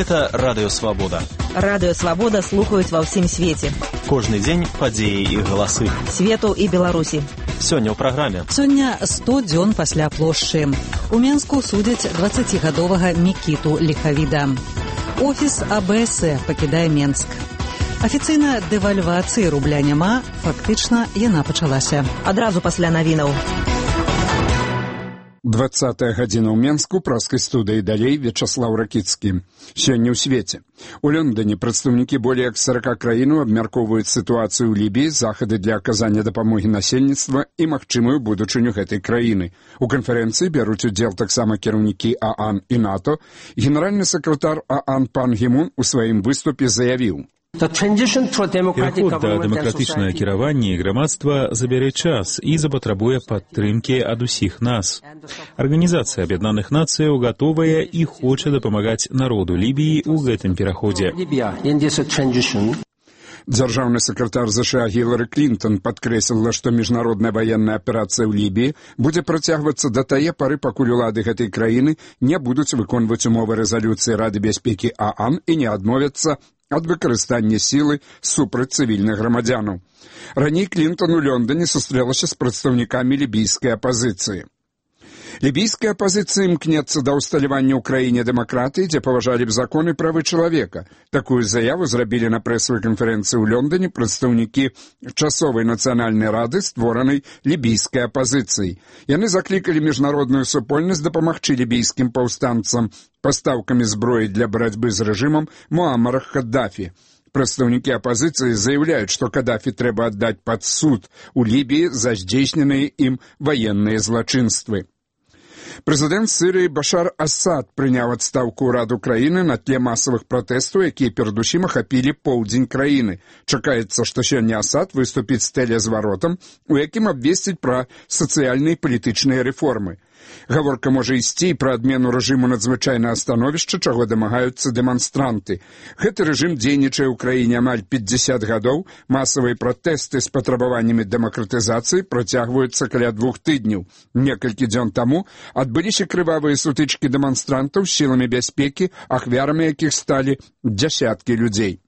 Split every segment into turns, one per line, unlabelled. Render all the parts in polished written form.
Гэта Радыё Свабода.
Радыё Свабода слухаюць ва ўсім свеце.
Кожны дзень падзеі і галасы.
Свету і Беларусі.
Сёння ў праграме.
Сёння 100 дзён пасля плошчы. У Менску судзяць 20-гадовага Мікіту Ліхавіда. Офіс АБС пакідае Менск. Афіцыйна дэвальвацыі рубля няма, фактычна яна пачалася.
Адразу пасля навінаў.
20-я гадзіна ў Менску, праскай студыі далей Вячаслаў Ракіцкі. Сёння ў свеце. У Лондоне прадстаўнікі болей як 40 краінаў абмяркоўваюць сітуацыю ў Лібіі, захады для аказання дапамогі насельніцтва і магчымую будучыню гэтай краіны. У канферэнцыі бяруць удзел таксама кіраўнікі ААН і НАТО. Генеральны сакратар ААН пан Гімун у сваім выступе заявіў:
Пераход да дэмакратычнага кіравання і грамадства забярэ час і запатрабуе падтрымкі ад усіх нас. Арганізацыя Аб'яднаных Нацыяў гатовая і хоча дапамагаць народу Лібіі ў гэтым пераходзе.
Дзяржаўны сакратар ЗША Гілары Клінтон падкрэсліла, што міжнародная ваенная аперацыя ў Лібіі будзе працягвацца да тае пары, пакуль улады гэтай краіны не будуць выконваць умовы рэзалюцыі Рады бяспекі ААН і не адмовяцца ад выкарыстання сілы супраць цывільных грамадзянаў. Раней Клінтон у Лондоне сустрэлася з прадстаўнікамі лібійскай апазіцыі. Лібійская апазіцыя імкнецца да ўсталявання ў краіне дэмакратыі, дзе паважалі б законы і правы чалавека. Такую заяву зрабілі на прэсавай канферэнцыі ў Лондоне прадстаўнікі часовай нацыянальнай рады, створанай лібійскай апазіцыяй. Яны заклікалі міжнародную супольнасць дапамагчы лібійскім паўстанцам пастаўкамі зброі для барацьбы з рэжымам Муаммара Каддафі. Прадстаўнікі апазіцыі заяўляюць, што Каддафі трэба аддаць пад суд у Лібіі за здзейсненыя ім ваенныя злачынствы. Прэзідэнт Сірыі Башар Асад прыняў адстаўку ўраду краіны на тле масавых пратэстаў, якія перадусім ахапілі поўдзень краіны. Чакаецца, што сёння Асад выступіць з тэлезваротам, у якім абвесціць пра сацыяльныя і палітычныя рэформы. Гаворка можа ісці і пра адмену рэжыму надзвычайнага становішча, чаго дамагаюцца дэманстранты. Гэты рэжым дзейнічае ў краіне амаль 50 гадоў, масавыя пратэсты з патрабаваннямі дэмакратызацыі працягваюцца каля 2 тыдняў. Некалькі дзён таму адбыліся крывавыя сутычкі дэманстрантаў з сіламі бяспекі, ахвярамі якіх сталі дзясяткі людзей.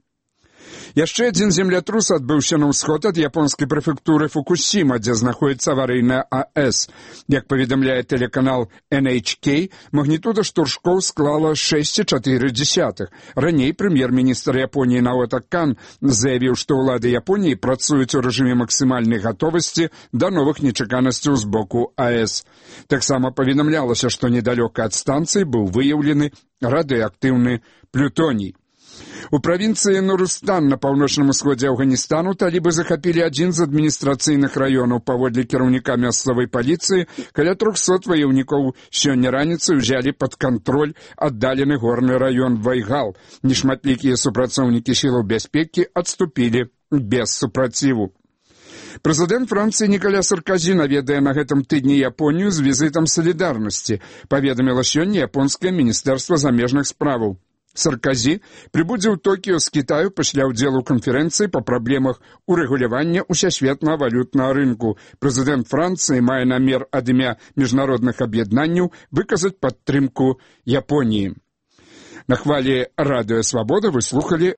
Яшчэ адзін землятрус адбыўся на ўсход ад японскай прэфектуры Фукусіма, дзе знаходзіцца аварыйная АЭС. Як паведамляе тэлеканал NHK, магнітуда штуршкоў склала 6,4. Раней прэм'ер-міністр Японіі Наото Кан заявіў, што ўлады Японіі працуюць у рэжыме максімальнай гатовасці да новых нечаканасцяў з боку АЭС. Таксама паведамлялася, што недалёка ад станцыі быў выяўлены радыеактыўны плютоній. У правінцыі Нурустан на паўночным усходзе Афганістану талібы захапілі адзін з адміністрацыйных раёнаў. Паводле кіраўніка мясцовай паліцыі, каля 300 ваяўнікоў сёння раніцай узялі пад кантроль аддалены горны раён Вайгал. Нешматлікія супрацоўнікі сілаў бяспекі адступілі без супраціву. Прэзідэнт Францыі Ніколя Саркозі наведае на гэтым тыдні Японію з візітам салідарнасці, паведаміла сёння японскае міністэрства замежных справаў. Саркозі прыбудзе ў Токіё з Кітаю пасля ўдзелу канферэнцыі па праблемах урэгулявання ўсесветнага валютнага рынку. Прэзідэнт Францыі мае намер ад імя міжнародных аб'яднанняў выказаць падтрымку Японіі. На хвалі Радыё Свабода вы слухалі